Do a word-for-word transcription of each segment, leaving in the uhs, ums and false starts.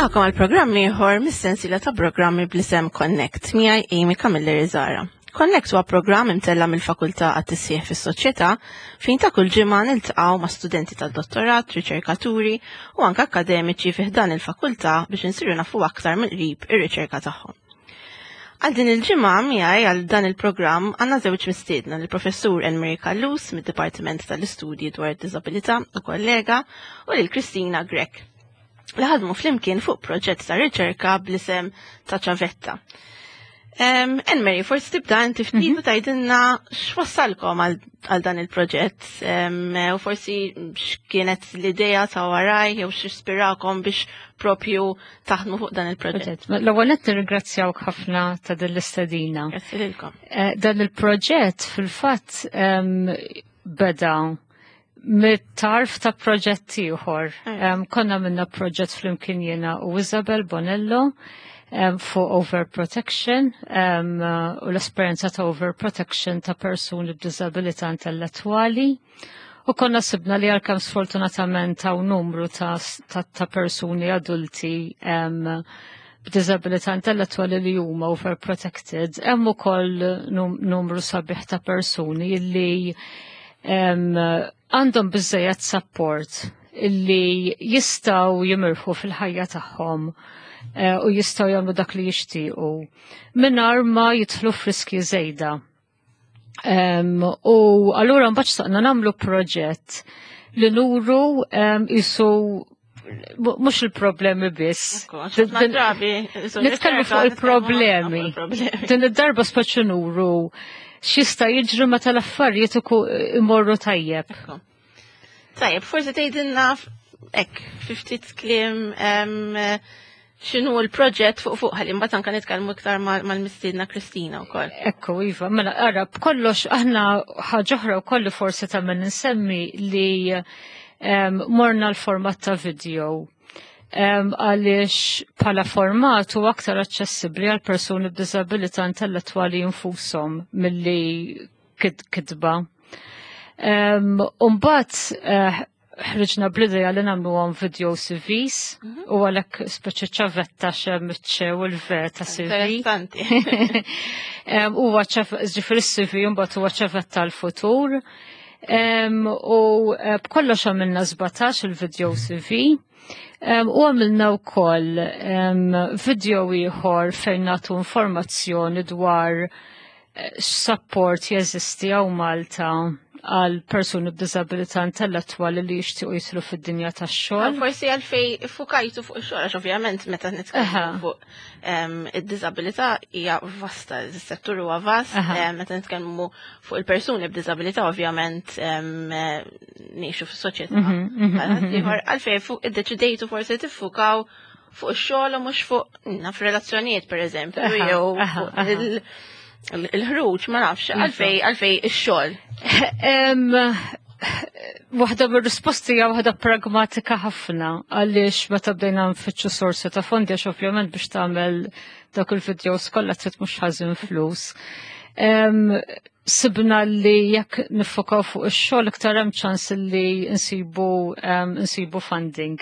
Nilqagħkom għal programm ieħor mis-sensiela ta' programmi bl-isem Connect miegħi Amy Camilleri Zara. Connect huwa programm imtella mill-Fakultà għat-Tisħiħ fis-Soċjetà fejn ta' kull ġimgħa niltaqgħu ma' studenti tad-dottorat, riċerkaturi u anke akademiċi fi ħdan il-fakultà biex insiru nafu aktar mill-qrib ir-riċerka tagħhom. Għal din il-ġimgħa miegħi għal dan il-programm għandna żewġ mistiedna, l-Professur Elmeri Callus mid-Dipartiment tal-Istudji dwar id-Diżabilità u kollega, u lil Kristina Grech li ħadmu flimkien fuq proġett ta' riċerka bl-isem ta' Ċavetta. Enmeri, forsi tibda inti ftit u tgħidilna x'wassalkom għal dan il-proġett u forsi x'kienet l-idea ta' waraj jew x'ispirakom biex propju taħdmu fuq dan il-proġett. L-ewwel qed nirringrazzjawk ħafna ta' din l-istedina. Grazzi lilkom. Eh, dan il-proġett fil-fatt beda mit-tarf ta' proġett ieħor. Konna minna proġett flimkien jiena u Isabel Bonello fuq overprotection u l-esperjenza ta' overprotection ta' persuni b'diżabilità intellettwali. U konna sibna li għalkemm sfortunatament hawn numru ta', ta, ta persuni adulti b'diżabilità intellettwali li huma overprotected, hemm ukoll numru sabiħ ta' persuni li għandhom biżejjed support illi jistgħu jimirħu fil-ħajja tagħhom eh, u jistgħu jagħmlu dak li jixtiequ mingħajr ma jidħlu f'riski żejda. U allura mbagħad xtaqna nagħmlu proġett li nuru jisu mhux il-problemi biss. Nitkellmu fuq il-problemi. Din id-darba speċi nuru x'jista' jiġri meta l-affarijiet imorru tajjeb. Tajjeb, forsi tgħidilna hekk fi ftit kliem x'inhu l-proġett fuq fuq ħalli mbagħad anke nitkellmu iktar mal-mistiedna Kristina wkoll. Ekku, iva, mela ara b'kollox aħna ħaġa oħra wkoll forsi ta' min insemmi li morna l-format ta' video għaliex bħala format u aktar aċċessibbli għal persuni b'diżabilità intellettwali infushom milli kitba. Umbagħad eh, ħriġna bl-idea li nagħmluhom video C Vs mhm. u għalhekk speċi ċavetta xem iċ-ċe u l-V ta' C V. Interessanti. Huwa ġifieri C V mbagħad huwa ċavetta l-futur. U eh, b'kollox għamilna sbatax il-video C V. U għamilna wkoll video ieħor fejn nagħtu informazzjoni dwar eh, support jeżisti hawn Malta għal persuni b'diżabilità intellettwali li jixtiequ jidħlu fid-dinja tax-xogħol. Forsi għalfej fukajtu fuq ix-xogħol, għax ovvjament meta nitkellmu fuq id-diżabilità hija vasta, is-settur huwa vast, meta nitkellmu fuq il-persuni b'diżabilità ovvjament ngħixu fis-soċjetà. Mhm, mhm, mhm, għalfej fuq iddeċidejtu forsi tiffukaw fuq ix-xogħol u mhux fuq naf relazzjonijiet, pereżempju, jew fuq il- il-ħruġ, ma nafx, għalfej, għalfej ix-xogħol. Waħda mir-risposti hija waħda pragmatika ħafna, għaliex meta bdejna nfittxu sorsi ta' fondi, għax ovvjament biex tagħmel dak il-videos kollha trid mhux ħażin flus. Sibna li jekk niffokaw fuq ix-xogħol iktar hemm ċans li nsibu nsibu funding.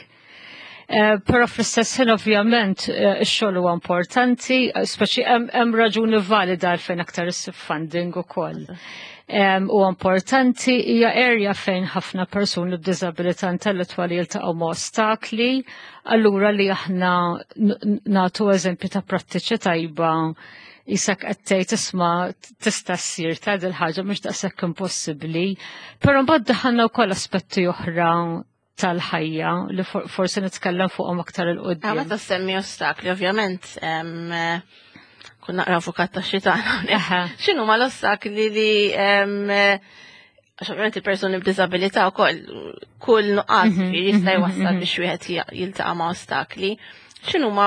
Eh, però fl-istess ħin ovvjament eh, ix-xogħol huwa importanti, speċi hemm raġuni valida għalfejn aktar issib funding ukoll. U importanti, hija area fejn ħafna persuni b'diżabilità intellettwali jiltaqgħu ma' ostakli, allura li aħna nagħtu eżempju ta' prattiċi tajba, jisek qed tgħid, "Isma', tista' ssir ta' dil ħaġa, mhux daqshekk impossibbli." Però mbagħad daħalna wkoll aspetti oħra tal-ħajja li forsi nitkellem fuqhom aktar 'il quddiem. Meta semmi ostakli, ovvjament, kun naqra avukat ta' xitan. X'inhu ma l-ostakli li, għax ovvjament il-persuni b'diżabilità wkoll kull nuqqas mhm, jista' mhm, jwassal mhm. biex wieħed jiltaqa' ma' ostakli. X'inhu ma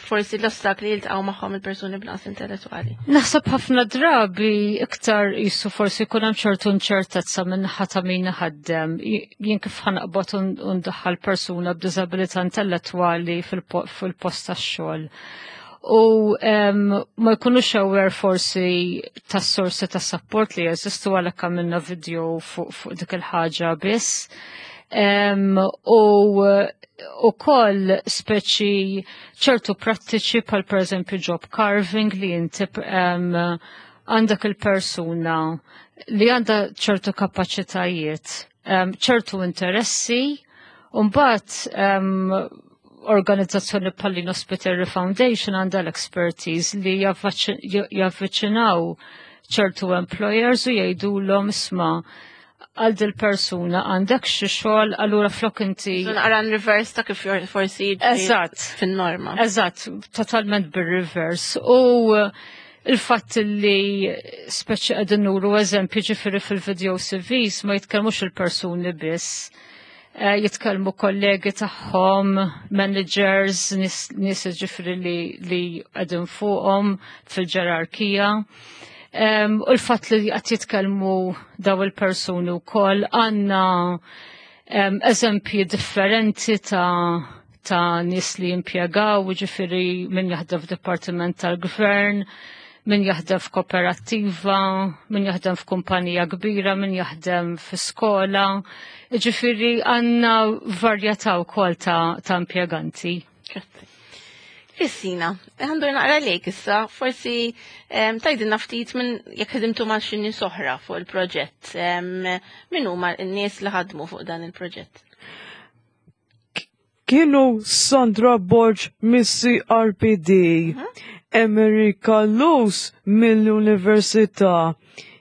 forsi l-ostakli jiltaqgħu magħhom il-persuni b'nuqqas intellettwali? Naħseb ħafna drabi iktar jisu forsi jkun hemm ċertu inċertezza minn ta' min ħaddem. Jien kif ħa naqbad u ndaħħal persuna b'diżabilità intellettwali fil-post tax-xogħol? U ma jkunux aware forsi tas sorsi ta' support li jeżistu, għalhekk għamilna video fuq dik il-ħaġa biss. Um, u u koll speċi ċertu prattiċi pal per eżempju job carving li inti um, għandek il-persuna li għandha ċertu kapaċitajiet, um, ċertu interessi, u mbagħad um, organizzazzjoni bħal Lino Spiteri Foundation għandha l-expertise li javviċinaw ċertu employers u jgħidulhom, "Isma', għal dil persuna għandek xi xogħol?" Allura flok inti Naqra reverse ta' kif forsi Eżatt. fin-norma. Eżatt, totalment bir-reverse. U il-fatt li speċi qegħdin nuru eżempju, ġifieri fil-video C Vs ma jitkellmux il-persuni biss. Eh, jitkellmu kollegi tagħhom, managers, nies ġifieri li, li qegħdin fuqhom fil-ġerarkija. Um, u l-fatt li qed jitkellmu daw il-persuni wkoll għandna um, eżempji differenti ta' ta' nies li jimpjegaw, ġifieri min jaħdem f'dipartiment tal-gvern, min jaħdem f'kooperattiva, min jaħdem f'kumpanija kbira, min jaħdem f'skola. Ġifieri għandna varjetà wkoll ta', ta' impjeganti. Grazzi. Kristina, għandu naqra lejk issa, forsi tgħidilna ftit minn jekk ħdimtu ma' xi nies oħra fuq il-proġett. Min huma n-nies li ħadmu fuq dan il-proġett? Kienu Sandra Borg mis-C R P D, Amerika Luz mill-Università,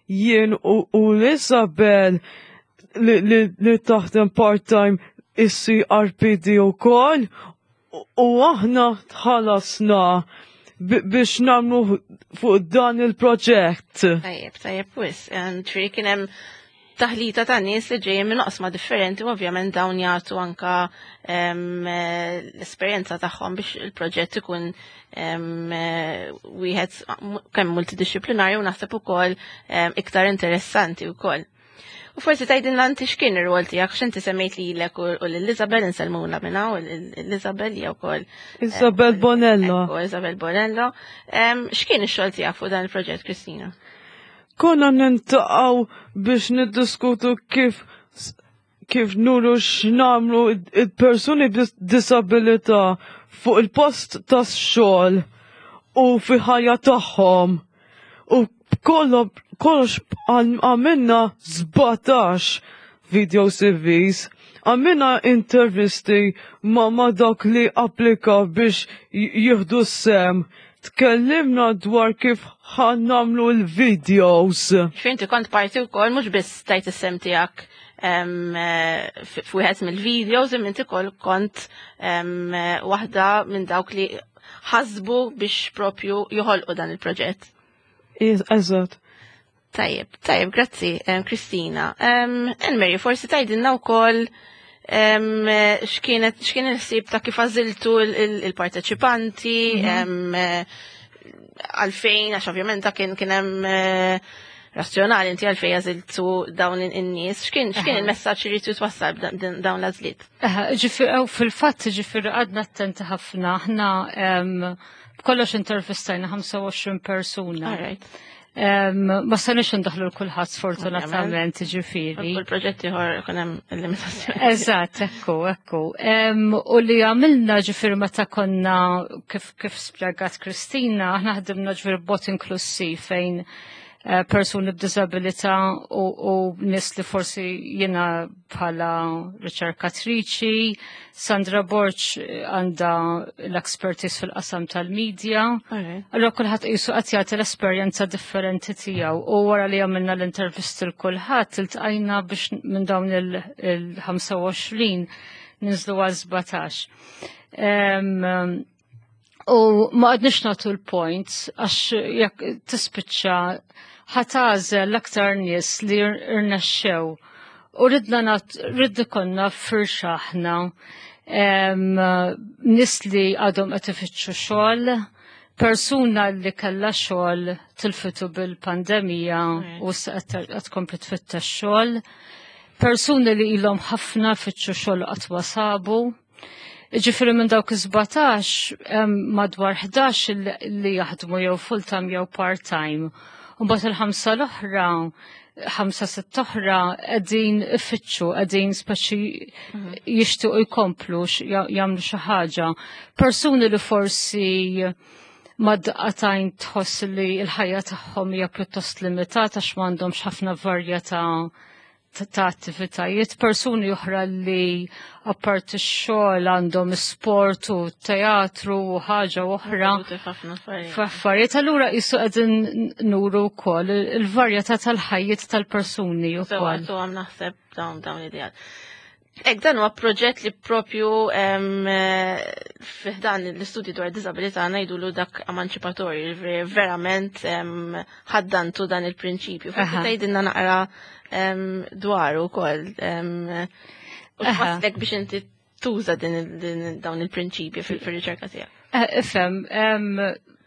jien u, u l-Isabel li, li, li taħdem part-time is-C R P D u koll, u aħna tħallasna biex namlu fuq dan il-proġett. Tajjeb, tajjeb, wis. Ġifieri kien hemm taħlita ta' nies li ġejjin minn oqsma differenti u ovvjament dawn jagħtu anka l-esperjenza tagħhom biex il-proġett ikun wieħed kemm multidisciplinarju u naħseb ukoll iktar interessanti wkoll. U forsi tgħidilna inti x'kien ir-rwol tiegħek, x'inti semmejt lilek u lil Isabel, insellmulha minn hawn, l-Isabel hija wkoll. Isabel Bonello. Isabel Bonello. X'kien ix-xogħol tiegħek fuq dan il-proġett, Kristina? Konna niltaqgħu biex niddiskutu kif kif nuru x'namlu il-persuni b'disabilità fuq il-post tas-xogħol u fi ħajja tagħhom. U kollox għamilna sbatax video C Vs, għamilna intervisti ma' ma' dak li applika biex jieħdu sehem. Tkellimna dwar kif ħa nagħmlu l-videos. Inti kont parti wkoll, mhux biss tajt is-sehem tiegħek f'wieħed mill-videos, imma inti kol kont waħda minn dawk li ħasbu biex propju joħolqu dan il-proġett. Eżatt. Tajjeb, tajjeb, grazzi, Kristina. Enmeri, forsi tgħidilna wkoll x'kienet x'kien il-ħsieb ta' kif għażiltu il-parteċipanti, mhm. għalfejn, għax ovvjament kien kien hemm eh, razzjonali inti għalfejn għażiltu dawn in-nies, x'kien x'kien il-messaġġ li trid twassal dawn l-għażliet? Fil-fatt, ġifieri għadna attenti ħafna, aħna b'kollox intervistajna ħamsa u għoxrin persuna. Ma stajniex ndaħlu l-kulħadd sfortunatament, ġifieri. Kull proġett ieħor ikun hemm il-limitazzjoni. Eżatt, ekku, ekku. U li għamilna, ġifieri meta konna kif kif spjegat Kristina, aħna ħdimna ġifieri b'mod inklusiv fejn eh, persuni b'disabilità u, u nies li forsi jiena bħala riċerkatriċi, Sandra Borg għandha l-expertise fil-qasam tal-medja. Allora kulħadd qisu qed jagħti l-esperjenza differenti tiegħu u wara li għamilna l-intervisti l kulħadd iltqajna biex minn dawn il-ħamsa u għoxrin ninżlu għal sbatax. U ma għadniex nagħtu l-points għax jekk tispiċċa ħa tagħżel l-aktar nies li rnexxew. U ridna ridna konna firxa aħna, nies li għadhom qed ifittxu xogħol, persuna li kellha xogħol tilfitu bil-pandemija u qed tkompli tfittex xogħol, persuni li ilhom ħafna fittxu xogħol qatt ma sabu. Ġifieri minn dawk is-sbatax madwar ħdax li jaħdmu jew full-time jew part-time. U mbagħad il-ħamsa l-oħra, ħamsa sitt oħra qegħdin ifittxu, qegħdin speċi jixtiequ jkomplu jagħmlu xi ħaġa. Persuni li forsi mad-daqatajn tħoss li l-ħajja tagħhom hija pjuttost limitata għax m'għandhomx ħafna varjetà ta' attivitajiet, persuni oħra li apparti x-xogħol għandhom sport u teatru u ħaġa oħra. F'affarijiet, allura qisu qegħdin nuru wkoll il-varjetà tal-ħajjiet tal-persuni wkoll. So għam naħseb dawn dawn l-ideat. Ek dan huwa proġett li propju fi ħdan l-istudji dwar disabilità ngħidulu dak emanċipatorju, verament ħaddantu dan il-prinċipju. Forsi tgħidilna naqra dwaru wkoll. U x'waslek biex inti tuża din dawn il-prinċipji fil-riċerka tiegħek. Ifhem,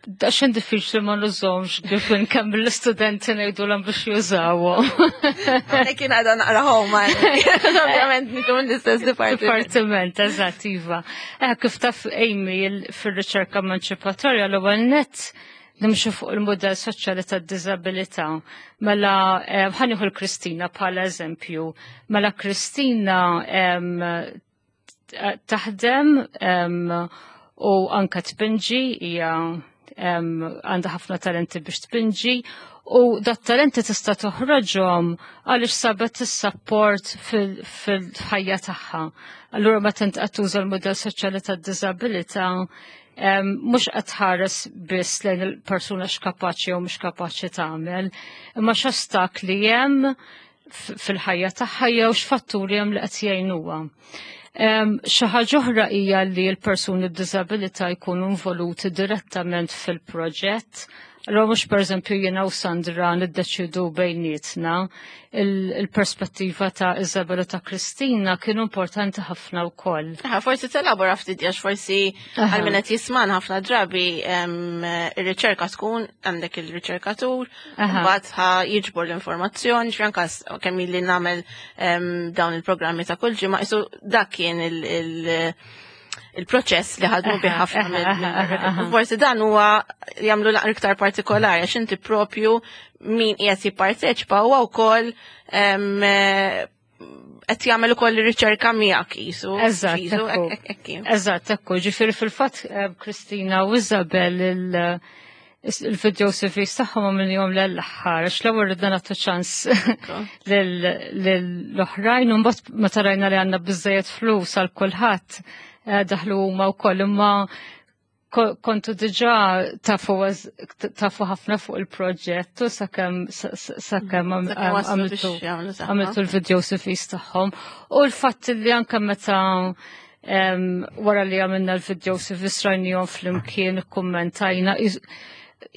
daxxen diffiċli ma nużomx kif nkemm l-istudenti ngħidulhom biex jużawhom. Għalhekk kien għadha naqra homa. Ovvjament niġu l-istess dipartiment. Dipartiment, eżatt, iva. Kif taf Amy fir-riċerka emanċipatorja l-ewwel nett nimxu fuq il-modell soċjali tad-diżabilità. Mela ħa nieħu l-Kristina bħala eżempju. Mela Kristina taħdem u anka tpinġi, hija għandha ħafna talenti biex tpinġi u dat talenti tista' toħroġhom għaliex sabet is-support fil-ħajja tagħha. Allura meta int qed tuża l-modell soċjali tad-diżabilità, mhux qed tħares biss lejn il-persuna x'kapaċi jew mhux kapaċi tagħmel, imma x'ostakli hemm fil-ħajja tagħha jew x'fatturi hemm li qed jgħinuha. Xi ħaġa oħra hija li l-persuni b'diżabilità jkunu involuti direttament fil-proġett. Allora mhux pereżempju jiena u Sandra niddeċidu bejnietna, il-perspettiva ta' Isabella ta' Kristina kienu importanti ħafna wkoll. Aha, forsi telabora ftit għax forsi għal min qed jisman ħafna drabi ir-riċerka tkun għandek il-riċerkatur, mbagħad ħa jiġbor l-informazzjoni, x'anka kemm li nagħmel dawn il-programmi ta' kull ġimgħa, isu dak kien il- il-proċess li ħadmu bih ħafna. Forsi dan huwa jagħmlu l iktar partikolari għax inti propju min qiegħed jipparteċipa huwa wkoll qed jagħmel ukoll ir-riċerka miegħek qisu. Eżatt. Eżatt, ekku, ġifieri fil-fatt Kristina u Isabel il-video C Vs tagħhom għamilnihom l-aħħar, għax l-ewwel ridna nagħtu ċans lill-oħrajn u mbagħad meta rajna li għandna biżejjed flus għal kulħadd daħlu huma wkoll, imma kontu diġà tafu tafu ħafna fuq il-proġett u sakemm sakemm għamiltu l-video C Vs tagħhom. U l-fatt li anke meta wara li għamilna l-video C Vs rajnihom flimkien, kummentajna,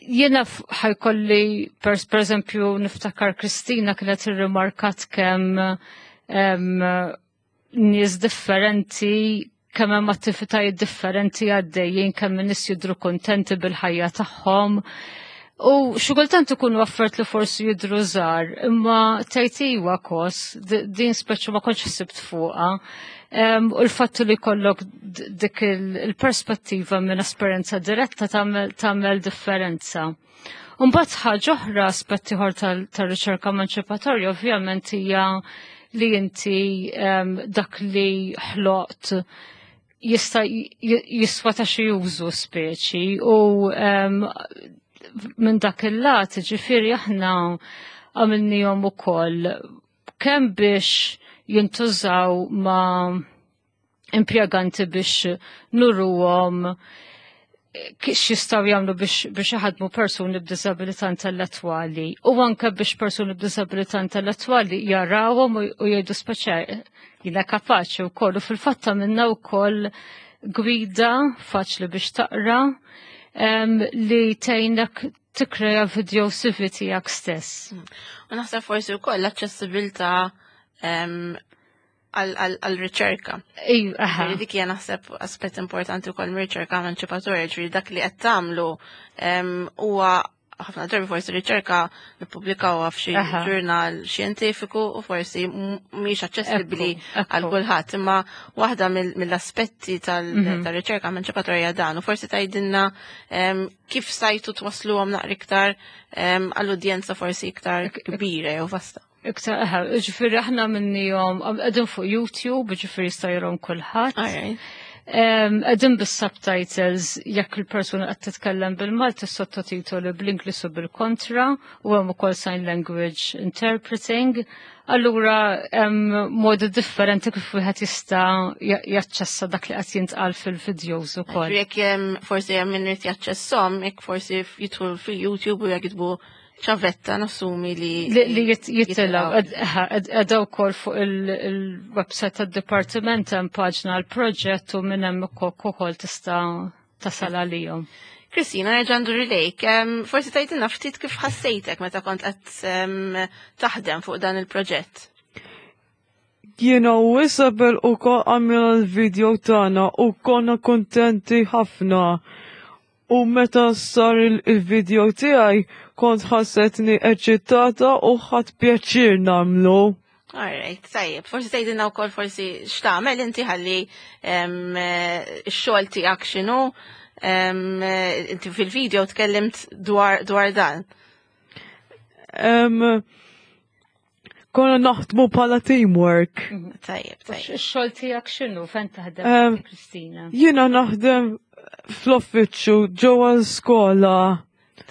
jiena ħa jkolli per eżempju niftakar Kristina kienet irrimarkat kemm nies differenti, kemm hemm attivitajiet differenti għaddejjin, kemm nies jidhru kontenti bil-ħajja tagħhom. U xi kultant ikunu affarijiet li forsi jidhru żgħar, imma tgħid iwa kos, din speċi ma kontx ħsibt fuqha. U l-fatt li jkollok dik il-perspettiva minn esperjenza diretta tagħmel differenza. Mbagħad ħaġa oħra, aspett ieħor tar-riċerka emanċipatorja ovvjament hija li inti dak li ħloqt jista' jiswa ta' xi użu speċi u minn dak il-lat ġifieri aħna għamilnihom ukoll kemm biex jintużaw ma' impjeganti biex nuruhom x'jistgħu jagħmlu biex biex iħadmu persuni b'diżabilità intellettwali u anke biex persuni b'diżabilità intellettwali jarawhom u jgħidu speċi jiena kapaċi wkoll. U fil-fatt għamilna wkoll gwida faċli biex taqra li tgħinek tikkrea video C V tiegħek stess. U naħseb forsi wkoll l-aċċessibilità għal-riċerka. Dik hija naħseb aspett importanti wkoll mir-riċerka emanċipatorja, ġifieri dak li qed tagħmlu huwa ħafna drabi forsi riċerka nippubblikawha f'xi Aha. ġurnal xjentifiku u forsi m- mhix aċċessibbli Ekku, ekku. għal kulħadd, imma waħda mill- mill-aspetti tal- Mhm. tal-riċerka emanċipatorja dan u forsi tgħidilna em, kif stajtu twasluhom naqra iktar em, għall-udjenza forsi iktar kbira jew vasta. Iktar, eħe, ġifieri aħna minnihom, qegħdin fuq YouTube, ġifieri jista' jarahom kulħadd. Alright. Qegħdin bis-subtitles jekk il-persuna qed titkellem bil-Malti, sottotitoli bl-Ingliż u bil-kontra, u hemm ukoll sign language interpreting. Allura hemm modi differenti kif wieħed jista' ja- jaċċessa dak li qed jintqal fil-videos ukoll. Jekk hemm forsi hemm min irid jaċċesshom, jekk forsi jidħol fil-YouTube u jiktbu ċavetta, nassumi li Li li jit- jitilgħu, qegħda wkoll fuq il-website tad-dipartiment hemm paġna għal proġett u minn hemm ukoll tista' tasal għalihom. Kristina, nerġa' ndur lejk. Em, Forsi tgħidilna ftit kif ħassejtek meta kont qed em, taħdem fuq dan il-proġett. Jiena u Isabel ukoll għamilna l-video tagħna u konna kontenti ħafna. U meta sar il- il-video tiegħi kont ħassetni eċitata u ħadt pjaċir nagħmlu. Alright, tajjeb. Forsi tgħidilna wkoll forsi x'tagħmel inti ħalli em, eh, x-xogħol tiegħek x'inhu. em, eh, Inti fil-video tkellimt dwar dwar dan. Em, konna naħdmu bħala teamwork. Tajjeb, tajjeb. Ix-xogħol tiegħek x'inhu, fejn taħdem Em, Kristina? Jiena naħdem fl-uffiċċju ġewwa l-skola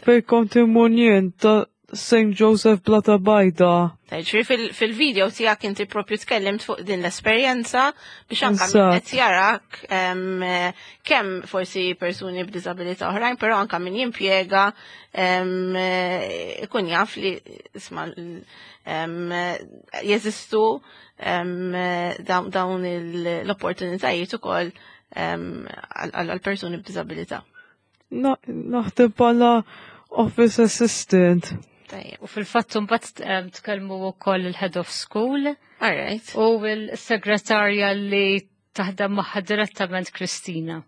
fejn kont immur jien ta' Saint Joseph Blata Bajda. Tajjeb, ġifieri fil- fil-video tiegħek inti propju tkellimt fuq din l-esperjenza biex anka min Eżatt. qed jarak em, eh, kemm forsi persuni b'diżabilità oħrajn, però anka min jimpjega em, eh, ikun jaf li isma' l- em, eh, jeżistu em, eh, dawn dawn il- l-opportunitajiet ukoll em, għal għal persuni b'diżabilità. Na- Naħdem bħala office assistant. Tajjeb. U fil-fatt mbagħad em, tkellmu wkoll il-head of school All right. u l-segretarja li taħdem magħha direttament Kristina.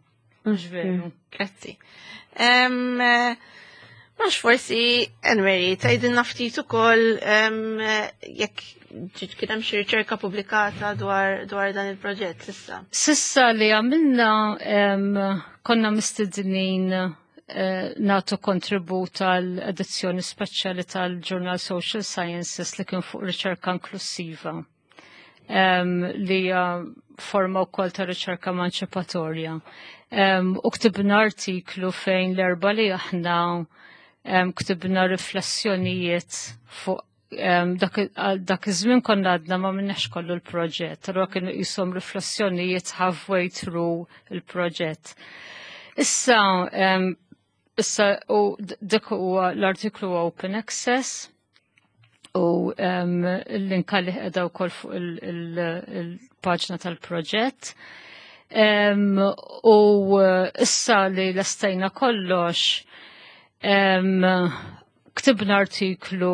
Mhux veru? Grazzi. Um, Mhux forsi, Enmeri, tgħidilna ftit ukoll um, jekk ġiet kien hemm xi riċerka pubblikata dwar dwar dan il-proġett s'issa. S'issa li għamilna em, konna mistednin eh, nagħtu kontribut għal edizzjoni speċjali tal-Journal Social Sciences li kien fuq riċerka inklusiva em, li hija forma wkoll ta' riċerka emanċipatorja. Em, U ktibna artiklu fejn l-erba li aħna em, ktibna riflessjonijiet fuq em, dak għal dak iż-żmien konna għadna ma minnex kollu l-proġett, allura kienu jisom riflessjonijiet halfway through il-proġett. Issa, em, issa u d- dik huwa l-artiklu huwa open access u um, l-link li qiegħda wkoll fuq il-paġna tal-proġett. Um, u uh, issa li lestejna kollox, um, ktibna artiklu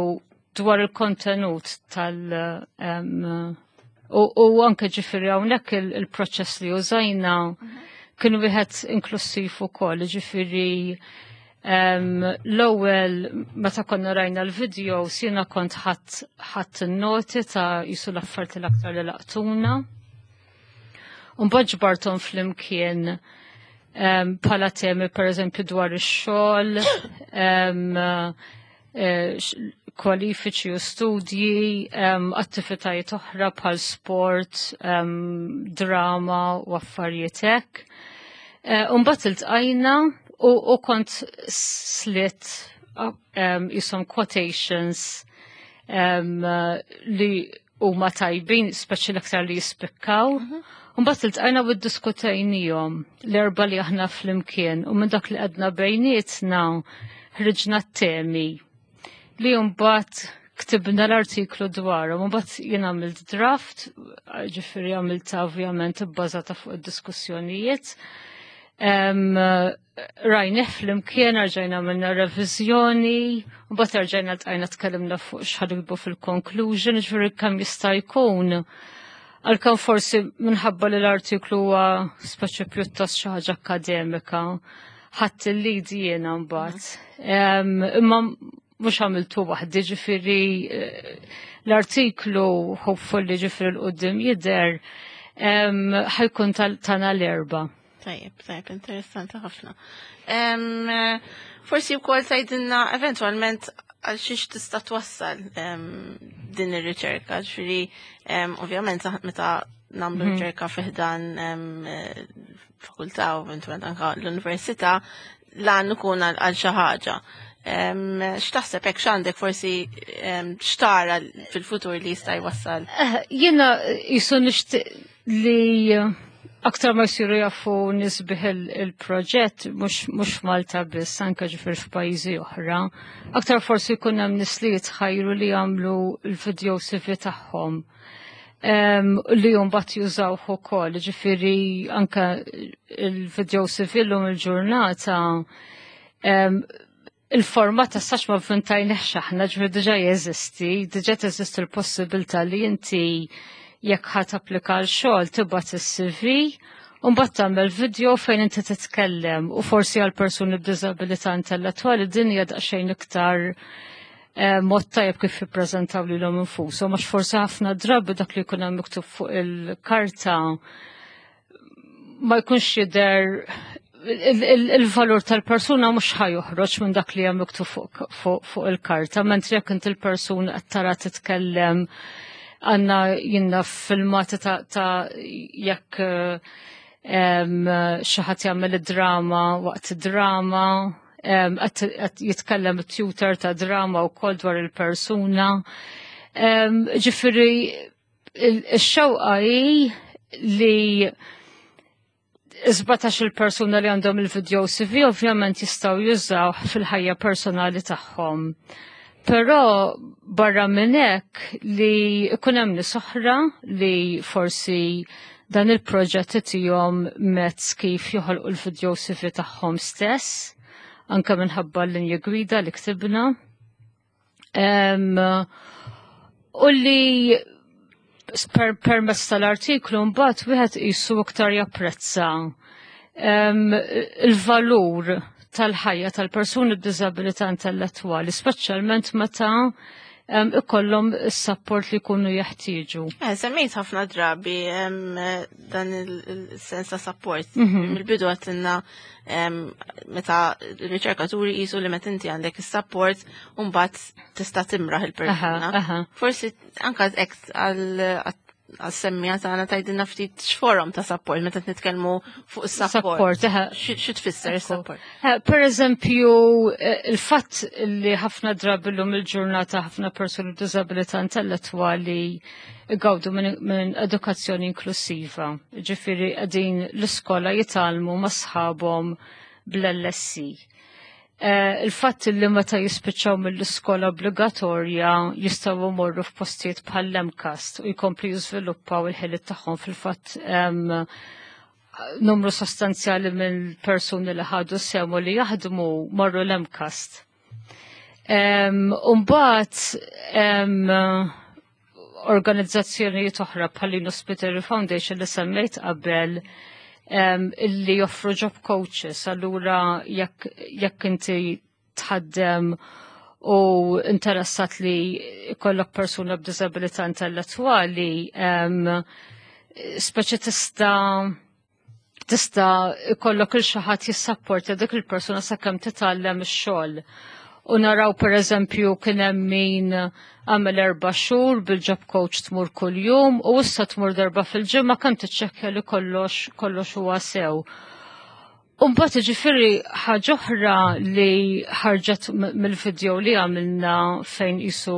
dwar il-kontenut tal- um, u, u anke ġifieri hawnhekk il- il-proċess li użajna kien wieħed inklusiv ukoll, ġifieri um, l-ewwel meta konna rajna l-video jiena kont ħadt ħadt noti ta' jisu l-affarijiet l-aktar li laqtuna. Mbagħad ġbarthom flimkien um, bħala temi per eżempju dwar ix-xogħol, um, eh, x- kwalifiċi u studji, um, attivitajiet oħra bħal sport, um, drama u affarijiet hekk. Uh, Mbagħad iltqajna u, u kont slitt um, jisom quotations um, li huma tajbin, speċi l-aktar li jispikkaw. Mbagħad iltqajna u ddiskutejnihom l-erba li aħna flimkien u minn dak li għedna bejnietna ħriġna t-temi li mbagħad ktibna l-artiklu dwarhom, mbagħad jien għamilt draft, ġifieri għamilta ovvjament ibbażata fuq id-diskussjonijiet. Um, rajnieh flimkien, rġajna għamilna reviżjoni, mbagħad rġajna ltqajna tkellimna fuq x'ħa niktbu fil-conclusion, ġifieri kemm jista' jkun. Għalkemm forsi minħabba li l-artiklu huwa speċi pjuttost xi ħaġa akademika, Ħadt il-lead jiena mbagħad. Imma mhux għamiltu waħdi, ġifieri eh, l-artiklu, hopefully, ġifieri 'l quddiem jidher, ħa jkun tagħna l-erba'. Tajjeb, tajjeb, interessanti ħafna. Forsi wkoll tgħidilna eventualment għal xiex tista' twassal din ir-riċerka, ġifieri ovvjament meta nagħmlu mhm. riċerka fi ħdan fakultà u eventualment anka l-università, lan ikun għal xi ħaġa. X'taħseb hekk, x'għandek forsi x'tara fil-futur li jista' jwassal? Eh, jiena jisu nixtieq li aktar ma jsiru jafu nies bih il-proġett, mhux Malta biss, anke ġifier f'pajjiżi oħra, aktar forsi jkun hemm nies li jitħajru li jagħmlu l-video C V tagħhom li mbagħad jużawh ukoll, ġifieri anke il-video C V llum il-ġurnata il-format ta' sax ma vvintajniex aħna, ġifieri diġà jeżisti, diġà teżisti l-possibilità li inti jekk ħa tapplika l-xogħol tibgħat is-C V u mbagħad tagħmel video fejn inti titkellem. U forsi għal persuni b'diżabilità intellettwali din hija daqsxejn iktar eh, mod tajjeb kif jippreżentaw lilhom infushom, għax forsi ħafna drabi dak li jkun hemm miktub fuq il-karta ma jkunx jidher il-valur tal-persuna, mhux ħa joħroġ minn dak li hemm miktub fuq il-karta, mentri jekk inti l-persuna qed tara titkellem, għandna jiena filmati ta' jekk xi ħadd jagħmel id-drama, waqt id-drama qed jitkellem it-tutor ta' drama wkoll dwar il-persuna. Ġifieri ix-xewqa hi li sbatax il-persuna li għandhom il-video C V ovvjament jistgħu jużaw fil-ħajja personali tagħhom. Però barra minn hekk li ikun hemm nies oħra li forsi dan il-proġett itihom mezz kif joħolqu l-video C V tagħhom stess, anke minħabba l-linja gwida li ktibna. Um, u li per permezz tal-artiklu mbagħad wieħed qisu iktar japprezza um, il-valur tal-ħajja tal-persuni b'diżabilità intellettwali, speċjalment meta um, ikollhom is-support li jkunu jeħtieġu. Eh, semmejt ħafna drabi em, dan il-sens ta' support. Mm Mill-bidu għedtilna meta r-riċerkaturi jisu li meta inti għandek is-support mbagħad tista' timraħ il-persuna. Forsi anka hekk għal għas-semmiegħa tagħna tgħidilna ftit x'forom ta' support meta nitkellmu fuq is-support. Xi tfisser is-support? Per eżempju, eh, il-fatt li ħafna drabi llum il-ġurnata ħafna persuni b'diżabilità intellettwali igawdu minn edukazzjoni inklusiva. Ġifieri qegħdin l-iskola jitgħallmu ma' sħabhom bl-L S E. Eh, il-fatt li meta jispiċċaw mill-iskola obbligatorja jistgħu jmorru f'postijiet bħal l-MCAST u jkomplu jiżviluppaw il-ħiliet tagħhom. Fil-fatt numru sostanzjali mill-persuni li ħadu sehem u li jaħdmu marru l-MCAST. Umbagħad organizzazzjonijiet oħra bħal Hospital Foundation li semmejt qabel, illi joffru job coaches, allura jekk jekk inti tħaddem u interessat li jkollok persuna b'diżabilità intellettwali, speċi tista' tista' ikollok il xi ħadd jissapporta dik il-persuna sakemm titgħallem ix-xogħol. U naraw, per eżempju, kien hemm min għamel erba' xhur bil-job coach, tmur kuljum u issa tmur darba fil-ġimgħa kemm tiċċekkja li kollox kollox huwa sew. Umbagħad ġifieri ħaġa oħra li ħarġet mill-video li għamilna fejn jisu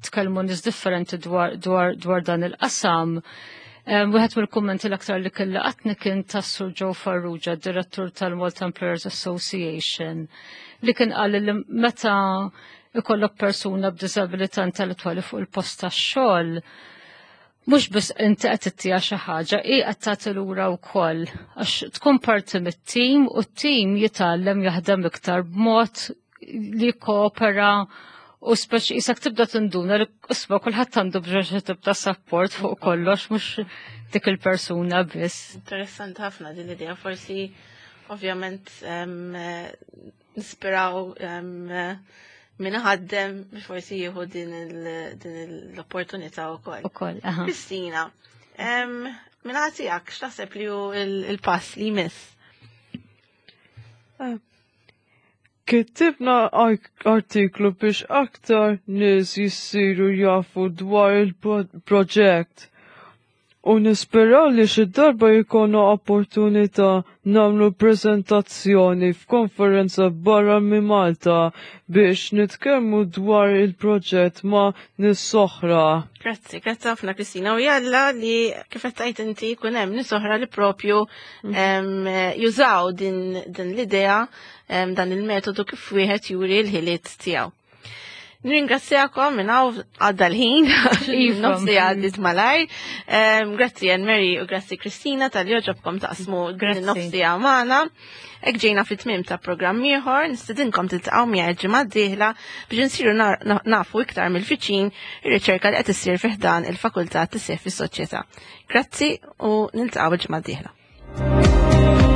tkellmu nies differenti dwar, dwar, dwar dan il-qasam. Wieħed mill-kummenti l-aktar li kelli qatni kien tas-Sur Joe Farrugia, direttur tal-Malta Employers Association, li kien qal li meta ikollok persuna b'diżabilità intellettwali fuq il-post tax-xogħol, mhux biss inti qed ittiha xi ħaġa, hi qed tagħti lura wkoll għax tkun parti mit-tim u t-tim jitgħallem jaħdem iktar b'mod li koopera u speċi jisak tibda tinduna li isma' kulħadd għandu bżonn xi tip ta' support fuq kollox, mhux dik il-persuna biss. Interessanti ħafna din l-idea, forsi Ovvjament eh, nisperaw min ħaddem biex forsi jieħu din l-opportunità wkoll. Ukoll, aha. Kristina, minn tiegħek x'taħseb li hu il-pass li jmiss? Eh, Kitibna artiklu biex aktar nies jissiru jafu dwar il-proġett u nisperaw li xi darba jkollna opportunità nagħmlu prezentazzjoni f'konferenza barra minn Malta biex nitkellmu dwar il-proġett ma' nies oħra. Grazzi, grazzi ħafna Kristina. U jalla li kif qed tgħid inti jkun hemm nies oħra li propju mhm. jużaw din, din l-idea dan il-metodu kif wieħed juri l-ħiliet tiegħu. Nringrazzjakom minn hawn għadda l-ħin, Iva. nofsi għaddit malajr. Grazzi Ann Mary u grazzi Kristina talli għoġobkom taqsmu Grazzi. nofsi magħna. Hekk ġejna fit-tmiem ta' programm ieħor, nistedinkom tiltaqgħu miegħi ġimgħa d-dieħla biex insiru nafu iktar mill-viċin ir-riċerka li qed issir fi ħdan il-Fakultà Tisħiħ fis-Soċjetà. Grazzi u niltaqgħu il-ġimgħa d-dieħla.